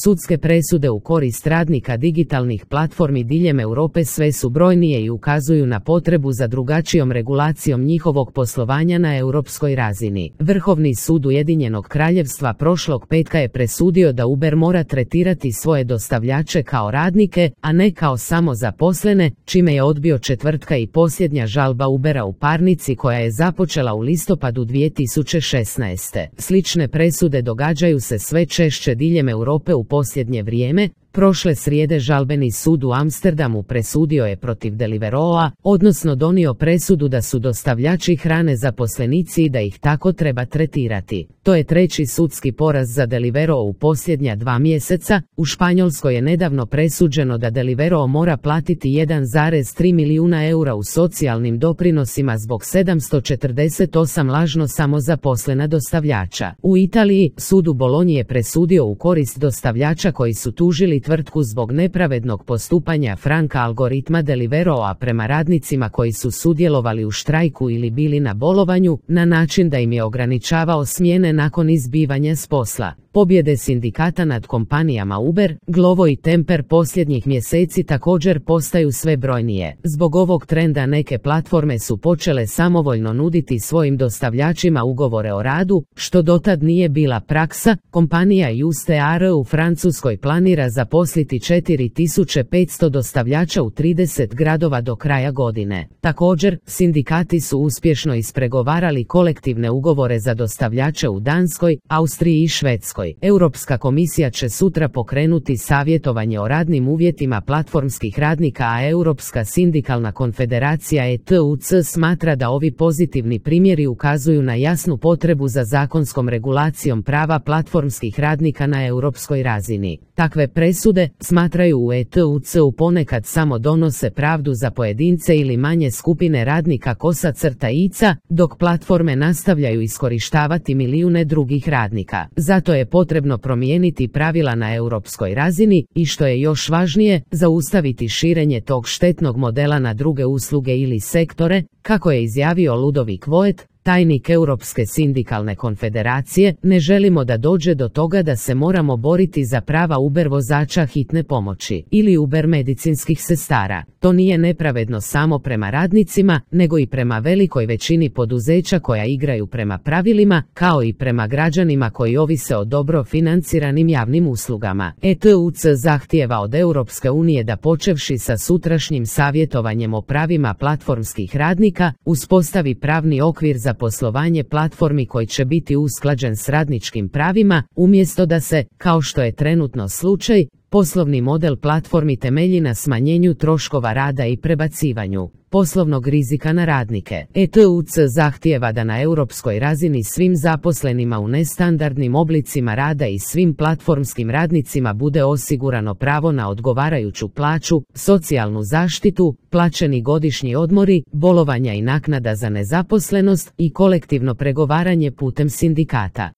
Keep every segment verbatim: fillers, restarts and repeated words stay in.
Sudske presude u korist radnika digitalnih platformi diljem Europe sve su brojnije i ukazuju na potrebu za drugačijom regulacijom njihovog poslovanja na europskoj razini. Vrhovni sud Ujedinjenog Kraljevstva prošlog petka je presudio da Uber mora tretirati svoje dostavljače kao radnike, a ne kao samozaposlene, čime je odbio četvrtka i posljednja žalba Ubera u parnici koja je započela u listopadu dvije tisuće šesnaeste. Slične presude događaju se sve češće diljem Europe u posljednje vrijeme. Prošle srijede žalbeni sud u Amsterdamu presudio je protiv Deliverooa, odnosno donio presudu da su dostavljači hrane zaposlenici i da ih tako treba tretirati. To je treći sudski poraz za Deliveroo u posljednja dva mjeseca. U Španjolskoj je nedavno presuđeno da Deliveroo mora platiti jedan zarez tri milijuna eura u socijalnim doprinosima zbog sedamsto četrdeset osam lažno samozaposlena dostavljača. U Italiji, sud u Bolonji je presudio u korist dostavljača koji su tužili tvrtku zbog nepravednog postupanja Franka algoritma Deliverooa prema radnicima koji su sudjelovali u štrajku ili bili na bolovanju, na način da im je ograničavao smjene nakon izbivanja s posla. Pobjede sindikata nad kompanijama Uber, Glovo i Temper posljednjih mjeseci također postaju sve brojnije. Zbog ovog trenda neke platforme su počele samovoljno nuditi svojim dostavljačima ugovore o radu, što dotad nije bila praksa. Kompanija U S T A R u Francuskoj planira zaposliti četiri tisuće petsto dostavljača u trideset gradova do kraja godine. Također, sindikati su uspješno ispregovarali kolektivne ugovore za dostavljače u Danskoj, Austriji i Švedskoj. Europska komisija će sutra pokrenuti savjetovanje o radnim uvjetima platformskih radnika, a Europska sindikalna konfederacija E T U C smatra da ovi pozitivni primjeri ukazuju na jasnu potrebu za zakonskom regulacijom prava platformskih radnika na europskoj razini. Takve presude, smatraju u E T U C-u, ponekad samo donose pravdu za pojedince ili manje skupine radnika kosa crta ica, dok platforme nastavljaju iskorištavati milijune drugih radnika. Zato je potrebno promijeniti pravila na europskoj razini i, što je još važnije, zaustaviti širenje tog štetnog modela na druge usluge ili sektore, kako je izjavio Ludovic Voet, tajnik Europske sindikalne konfederacije. Ne želimo da dođe do toga da se moramo boriti za prava Uber vozača hitne pomoći ili Uber medicinskih sestara. To nije nepravedno samo prema radnicima, nego i prema velikoj većini poduzeća koja igraju prema pravilima, kao i prema građanima koji ovise o dobro financiranim javnim uslugama. E T U C zahtijeva od Europske unije da, počevši sa sutrašnjim savjetovanjem o pravima platformskih radnika, uspostavi pravni okvir za poslovanje platformi koji će biti usklađen s radničkim pravima, umjesto da se, kao što je trenutno slučaj, poslovni model platformi temelji na smanjenju troškova rada i prebacivanju poslovnog rizika na radnike. E T U C zahtijeva da na europskoj razini svim zaposlenima u nestandardnim oblicima rada i svim platformskim radnicima bude osigurano pravo na odgovarajuću plaću, socijalnu zaštitu, plaćeni godišnji odmori, bolovanja i naknada za nezaposlenost i kolektivno pregovaranje putem sindikata.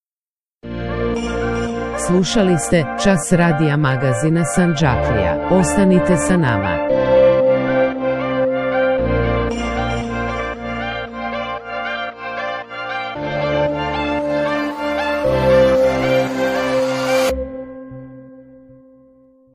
Slušali ste Čas radija magazina Sandžaklija. Ostanite sa nama.